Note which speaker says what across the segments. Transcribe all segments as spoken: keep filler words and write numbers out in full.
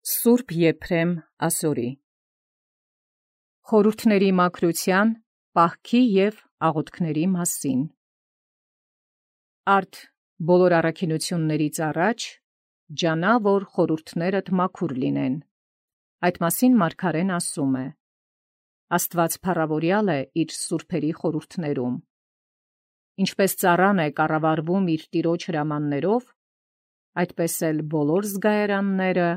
Speaker 1: Սուրբ Եփրեմ Ասորի խորհուրդների մաքրության, պահքի և աղոթքների մասին։ Արդ բոլոր առաքինություններից առաջ ջանա, որ խորհուրդներդ մաքուր լինեն։ Այդ մասին մարգարեն ասում է. Աստված փառավորյալ է իր սուրբերի խորհուրդներում։ Ինչպես ծառան է կառավարվում իր տիրոջ հրամաններով, այդպես էլ բոլոր զգայարանները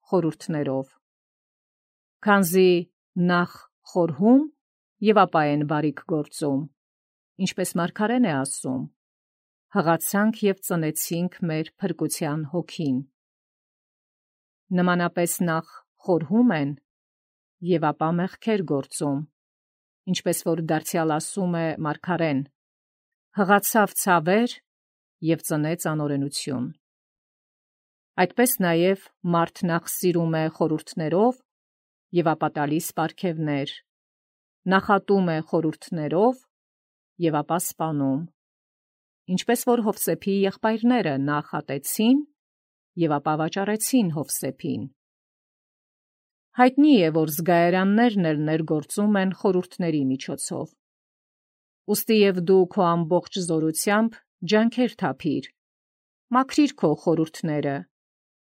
Speaker 1: խորհուրդներով։ Քանզի նախ խորհում և ապա են բարիք գործում, ինչպես մարգարեն է ասում. հղացանք և ծնեցինք մեր փրկության հոգին։ Նմանապես նախ խորհում են և ապա մեղքեր գործում, ինչպես որ դարձյալ ասում է մարգարեն. հղացավ ցավեր և ծնեց անօրենություն։ Այդպես նաև մարդ նախ սիրում է խորհուրդներով և ապա տալիս պարգևներ, նախատում է խորհուրդներով և ապա սպանում, ինչպես որ Հովսեփի եղբայրները նախ ատեցին և ապա վաճառեցին Հովսեփին։ Հայտնի է, որ զգայարաններն էլ ներգործում են խորհուրդների միջոցով։ Ուստի և դու քո ամբողջ զորությամբ ջանքեր թափիր, մաքրիր քո խորհուրդները,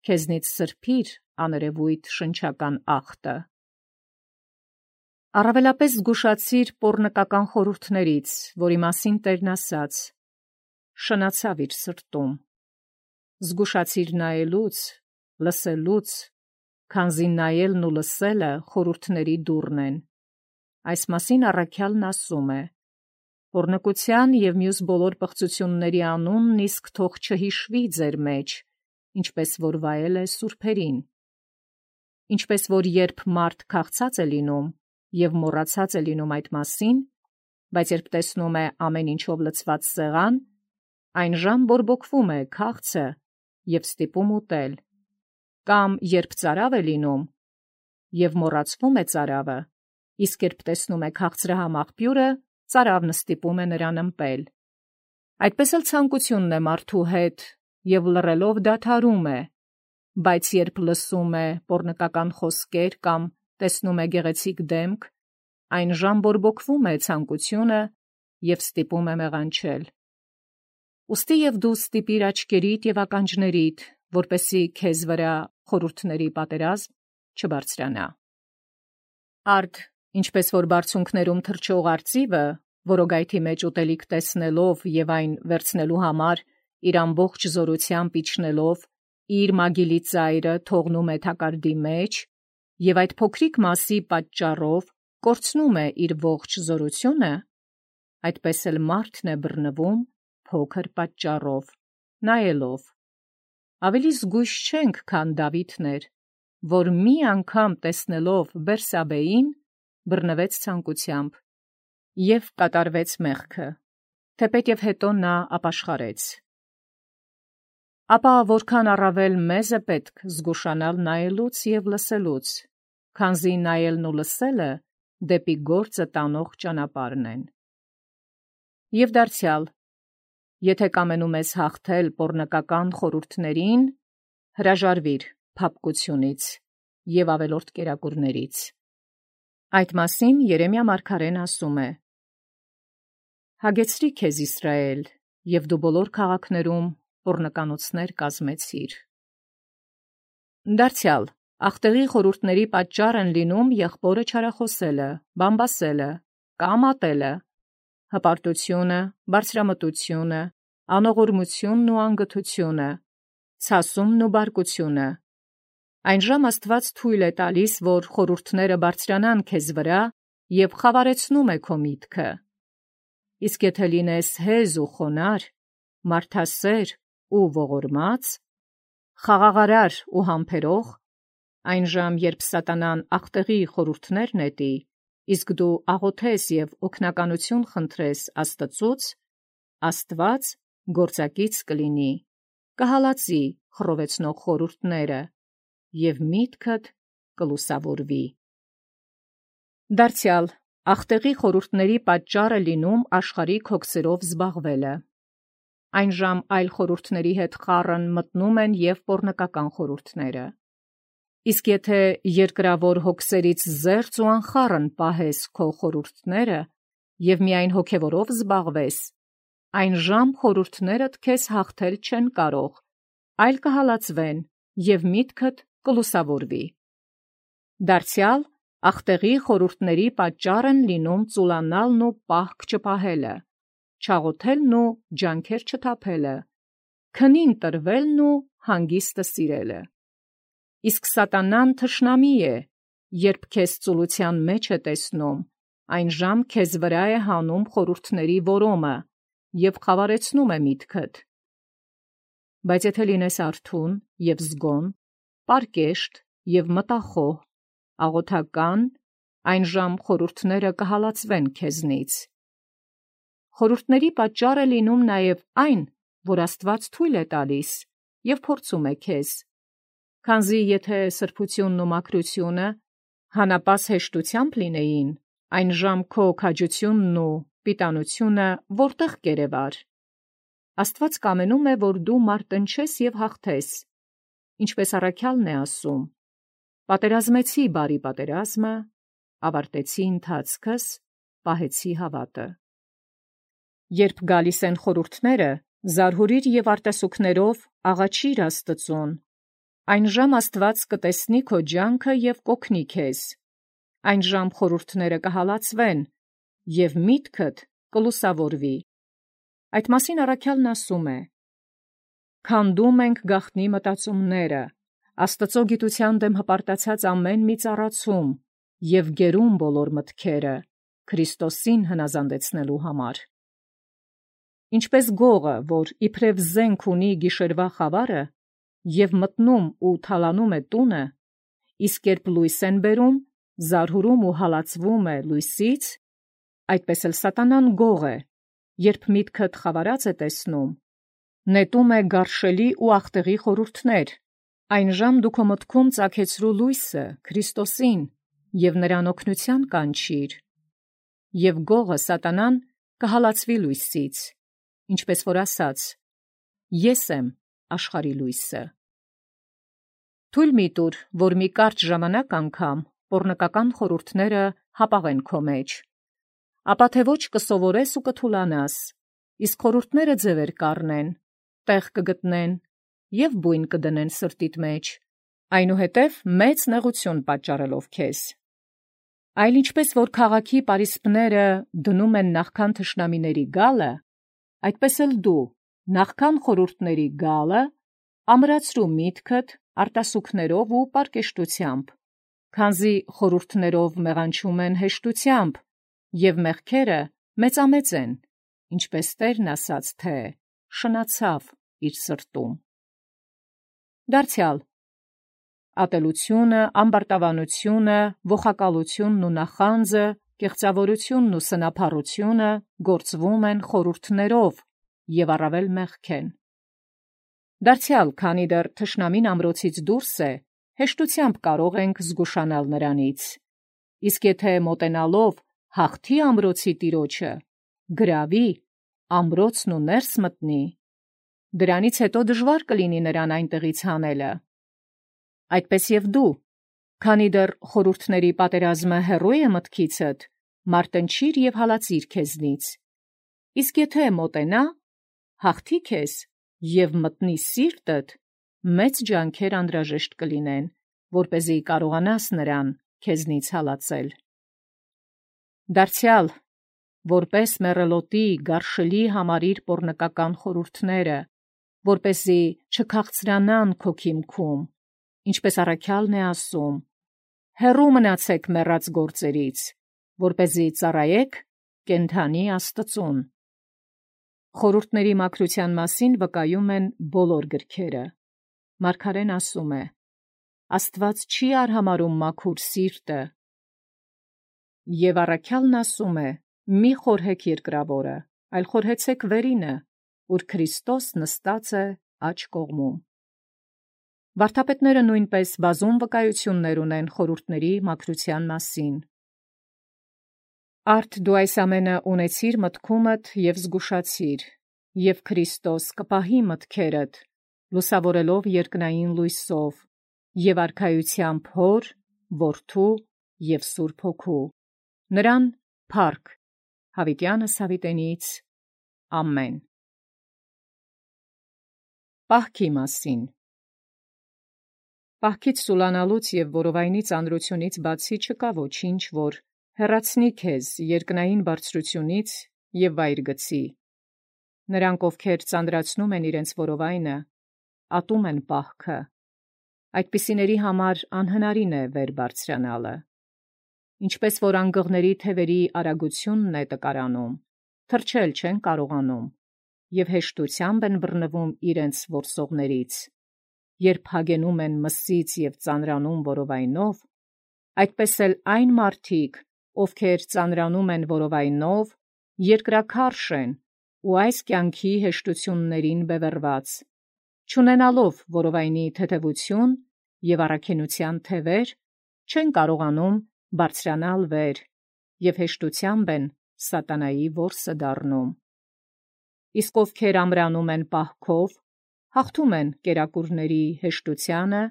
Speaker 1: քեզնից սրբիր աներևույթ շնչական աղտը։ Առավելապես զգուշացիր պոռնկական խորհուրդներից, որի մասին Տերն ասաց. շնացավ իր սրտում։ Զգուշացիր նայելուց, լսելուց, քանզի նայելն ու լսելը խորհուրդների դուռն են։ Այս մասին առաքյալն ասում է. պոռնկության և մյուս բոլոր պղծությունների անունն իսկ թող չհիշվի ձեր մեջ, ինչպես որ վայել է սուրբերին։ Ինչպես որ երբ մարդ քաղցած է լինում և մոռացած է լինում այդ մասին, բայց երբ տեսնում է ամեն ինչով լցված սեղան, այն ժամ բորբոքվում է քաղցը և ստիպում ուտել, կամ երբ ծարավ է լինում և մոռացվում է ծարավը, իսկ երբ տեսնում է քաղցրահամ աղբյուրը, ծարավն ստիպում է նրան ըմպել։ Այդպես էլ ցանկությունն է մարդու հետ և լռելով դադարում է, բայց երբ լսում է պոռնկական խոսքեր կամ տեսնում է գեղեցիկ դեմք, այն ժամ բորբոքվում է ցանկությունը և ստիպում է մեղանչել։ Ուստի և դու ստիպիր աչքերիդ և ականջներիդ, որպեսզի քեզ վրա խորհուրդների պատերազմ չբարձրանա։ Արդ ինչպես որ բարձունքներում թռչող արծիվը, որոգայթի մեջ ուտելիք տեսնելով և այն վերցնելու համար իր ամբողջ զորությամբ իջնելով, իր մագիլի ծայրը թողնում է թակարդի մեջ և այդ փոքրիկ մասի պատճառով կորցնում է իր ողջ զորությունը, այդպես էլ մարդն է բռնվում փոքր պատճառով, նայելով։ Ավելի զգույշ չենք, քան Դավիթն էր, որ մի անգամ տեսնելով Բերսաբեին, բռնվեց ցանկությամբ և կատարվեց մեղքը, թեպետև հետո նա ապաշխարեց։ Ապա որքան առավել մեզ է պետք զգուշանալ նայելուց և լսելուց, քանզի նայելն ու լսելը դեպի գործը տանող ճանապարհն են։ Եվ դարձյալ, եթե կամենում ես հաղթել պոռնկական խորհուրդներին, հրաժարվիր փափկությունից և ավելորդ կերակուրներից։ Այդ մասին Երեմիա մարգարեն ասում է. Հագեցրի քեզ Իսրայել, և դու բոլոր քաղաքներում պոռնկանոցներ կազմեցիր։ Դարձյալ, աղտեղի խորհուրդների պատճառ են լինում եղբորը չարախոսելը, բամբասելը, կամ ատելը, հպարտությունը, բարձրամտությունը, անողորմությունն ու անգթությունը, ցասումն ու բարկությունը։ Այնժամ Աստված թույլ է տալիս, որ խորհուրդները բարձրանան քեզ վրա և խավարեցնում է քո միտքը։ Իսկ եթե լինես հեզ ու խոնարհ, մարդասեր ու ողորմած, խաղաղարար ու համբերող, այնժամ երբ սատանան աղտեղի խորհուրդներ նետի, իսկ դու աղոթես և օգնականություն խնդրես Աստծուց, Աստված գործակից կլինի, կհալածի խռովեցնող խորհուրդները, և միտքդ կլուսավորվի։ Դարձյալ, աղտեղի խորհուրդների պատճառ է լինում աշխարհիկ հոգսերով զբաղվելը։ Այնժամ այլ խորհուրդների հետ խառն մտնում են և պոռնկական խորհուրդները։ Իսկ եթե երկրավոր հոգսերից զերծ ու անխառն պահես քո խորհուրդները և միայն հոգևորով զբաղվես, այն ժամ խորհուրդներդ քեզ հաղթել չեն կարող, այլ կհալածվեն և միտքդ կլուսավորվի։ Դարձյալ ախտեղի խորհուրդների պատճառ են լինում ծուլանալն ու պահք չպահելը, չաղոթելն ու ջանքեր չթափելը, քնին տրվելն ու հանգիստը սիրելը։ Իսկ սատանան թշնամի է, երբ քեզ ծուլության մեջ է տեսնում, այն ժամ քեզ վրա է հանում խորհուրդների որոմը և խավարեցնում է միտքդ։ Բայց եթե լինես արթուն և զգոն, պարկեշտ և մտախոհ, աղոթական, այն ժամ խորհուրդները կհալածվեն քեզնից։ Խորհուրդների պատճառ է լինում նաև այն, որ Աստված թույլ է տալիս և փորձում է քեզ, քանզի եթե սրբությունն ու մաքրությունը հանապաս հեշտությամբ լինեին, այն ժամ քո քաջությունն ու պիտանությունը որտե՞ղ կերևար։ Աստված կամենում է, որ դու մարտնչես և հաղթես, ինչպես առաքյալն է ասում. «Պատերազմեցի բարի պատերազմը, ավարտեցի ընթացքս, պահեցի հավատը»։ Երբ գալիս են խորհուրդները, զարհուրիր և արտասուքներով աղաչիր Աստծուն, այն ժամ Աստված կտեսնի քո ջանքը և կօգնի քեզ, այն ժամ խորհուրդները կհալածվեն և միտքդ կլուսավորվի։ Այդ մասին առաքյալն ասում է. «Քանդում ենք գաղտնի մտածումները, Աստծո գիտության դեմ հպարտացած ամեն մի ծառացում և գերում բոլոր մտքերը, Քրիստոսին հնազանդեցնելու համար»։ Ինչպես գողը, որ իբրև զենք ունի գիշերվա խավարը և մտնում ու թալանում է տունը, իսկ երբ լույս են բերում, զարհուրում ու հալածվում է լույսից, այդպես էլ սատանան գող է, երբ միտքդ խավարած է տեսնում, նետում է գարշելի ու ախտեղի խորհուրդներ, այն ժամ դու քո մտքում ծագեցրու լույսը, Քրիստոսին, և նրան օգնության կանչիր, և գողը սատանան կհալածվի լույսից, ինչպես որ ասաց. «Ես եմ աշխարհի լույսը»։ Թույլ մի տուր, որ մի կարճ ժամանակ անգամ պոռնկական խորհուրդները հապաղեն քո մեջ, ապա թե ոչ կսովորես ու կթուլանաս, իսկ խորհուրդները ձևեր կառնեն, տեղ կգտնեն և բույն կդնեն սրտիդ մեջ, այնուհետև մեծ նեղություն պատճառելով քեզ։ Այլ ինչպես որ քաղաքի պարիսպները դնում են նախքան թշնամիների գալը, այդպես էլ դու նախքան խորհուրդների գալը ամրացրու միտքդ արտասուքներով ու պարկեշտությամբ, քանզի խորհուրդներով մեղանչում են հեշտությամբ, և մեղքերը մեծամեծ են, ինչպես Տերն ասաց, թե շնացավ իր սրտում։ Դարձյալ ատելությունը, ամբարտավանությունը, ոխակալությունն ու նախանձը, կեղծավորությունն ու սնափառությունը գործվում են խորհուրդներով և առավել մեղք են։ Դարձյալ, քանի դեռ թշնամին ամրոցից դուրս է, հեշտությամբ կարող ենք զգուշանալ նրանից, իսկ եթե մոտենալով հաղթի ամրոցի տիրոջը, գրավի, ամրոցն ու ներս մտնի, դրանից հետո դժվար կլինի նրան այնտեղից հանելը։ Այդպես և դու, քանի դեռ խորհուրդների պատերազմը հեռու է մտքիցդ, մարտնչիր և հալածիր քեզնից, իսկ եթե մոտենա, հաղթի քեզ և մտնի սիրտդ, մեծ ջանքեր անհրաժեշտ կլինեն, որպեսզի կարողանաս նրան քեզնից հալածել։ Դարձյալ, որպես մեռելոտի գարշելի համարիր պոռնկական խորհուրդները, որպեսզի չքաղցրանան քո քիմքում, ինչպես առաքյալն է ասում. «Հեռու մնացեք մեռած գործերից, որպեսզի ծառայեք կենդանի Աստծուն»։ Խորհուրդների մաքրության մասին վկայում են բոլոր գրքերը։ Մարգարեն ասում է. «Աստված չի արհամարհում մաքուր սիրտը»։ Եվ առաքյալն ասում է. «Մի խորհեք երկրավորը, այլ խորհեցեք վերինը, ուր Քրիստոս նստած է աջ կողմում»։ Վարդապետները նույնպես բազում վկայություններ ունեն խորհուրդների մաքրության մասին։ Արդ դու այս ամենը ունեցիր մտքումդ և զգուշացիր, և Քրիստոս կպահի մտքերդ, լուսավորելով երկնային լույսով, և արքայությամբ Հոր, Որդու և Սուրբ Հոգու, նրան փառք հավիտյանս հավիտենից, ամեն։ Պահքի մասին։ Պահքից սուլանալուց և որովայնի ծանրությունից բացի չկա ոչինչ, որ հեռացնի քեզ երկնային բարձրությունից և վայր գցի։ Նրանք, ովքեր ծանրացնում են իրենց որովայնը, ատում են պահքը, այդպիսիների համար անհնարին է վեր բարձրանալը։ Ինչպես որ անգղների թևերի արագությունն է տկարանում, թռչել չեն կարողանում, և հեշտությամբ են բռնվում իրենց որսողներից, երբ հագենում են մսից և ծանրանում որովայնով, այդպես էլ այն մարդիկ, ովքեր ծանրանում են որովայնով, երկրաքարշ են ու այս կյանքի հեշտություններին բևեռված, չունենալով որովայնի թեթևություն և առաքինության թևեր, չեն կարողանում բարձրանալ վեր և հեշտությամբ են սատանայի որսը դառնում։ Իսկ ովքեր ամրանում են պահքով, հաղթում են կերակուրների հեշտությանը,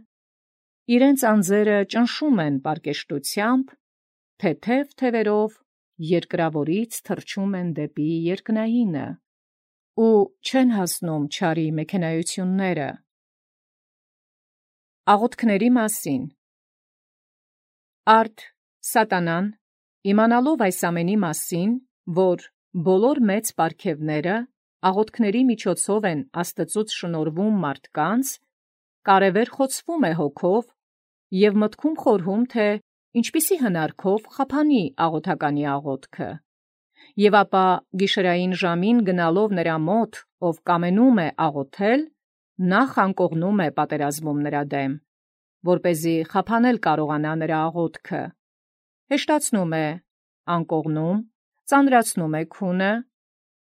Speaker 1: իրենց անձերը ճնշում են պարկեշտությամբ, թեթև թևերով երկրավորից թռչում են դեպի երկնայինը ու չեն հասնում չարի մեքենայությունները։ Աղոթքների մասին։ Արդ սատանան, իմանալով այս ամենի մասին, որ բոլոր մեծ պարգևները աղոթքների միջոցով են Աստծուց շնորհվում մարդկանց, կարևեր խոցվում է հոգով և մտքում խորհում, թե ինչպիսի հնարքով խափանի աղոթականի աղոթքը, և ապա գիշերային ժամին գնալով նրա մոտ, ով կամենում է աղոթել, նախ անկողնում է պատերազմում նրա դեմ, որպեսզի խափանել կարողանա նրա աղոթքը, հեշտացնում է անկողնում, ծանրացնում է քունը,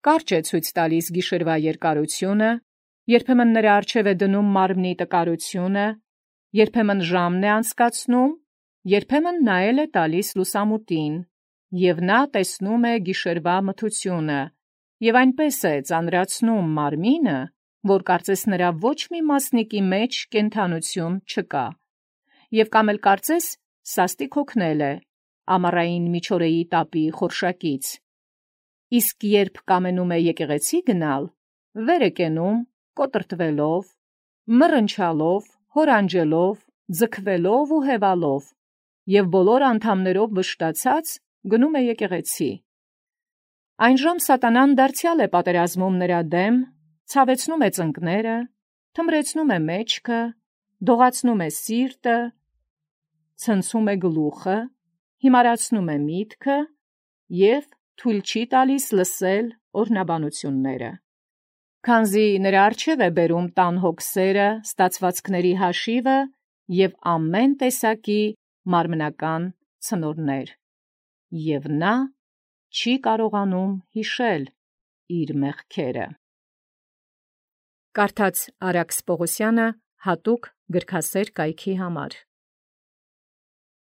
Speaker 1: կարճ է ցույց տալիս գիշերվա երկարությունը, երբեմն նրա առջև է դնում մարմնի տկարությունը, երբեմն ժամն է անցկացնում, երբեմն նայել է տալիս լուսամուտին, և նա տեսնում է գիշերվա մթությունը, և այնպես է ծանրացնում մարմինը, որ կարծես նրա ոչ մի մասնիկի մեջ կենդանություն չկա, և կամ էլ կարծես սաստիկ հոգնել է ամառային միջօրեի տապի խորշակից, իսկ երբ կամենում է եկեղեցի գնալ, վեր է կենում կոտրտվելով, մռնչալով, հորանջելով, ձգվելով ու հևալով, և բոլոր անդամներով վշտացած գնում է եկեղեցի։ Այնժամ սատանան դարձյալ է պատերազմում նրա դեմ, ցավեցնում է ծնկները, թմրեցնում է մեջքը, դողացնում է սիրտը, ցնցում է գլուխը, հիմարացնում է միտքը և թույլ չի տալիս լսել օրհնաբանությունները։ Քանզի նրա առջև է բերում տան հոգսերը, ստացվածքների հաշիվը և ամեն տեսակի մարմնական ցնորներ, և նա չի կարողանում հիշել իր մեղքերը։ Կարդաց Արաքս Պողոսյանը հատուկ գրքասեր կայքի համար։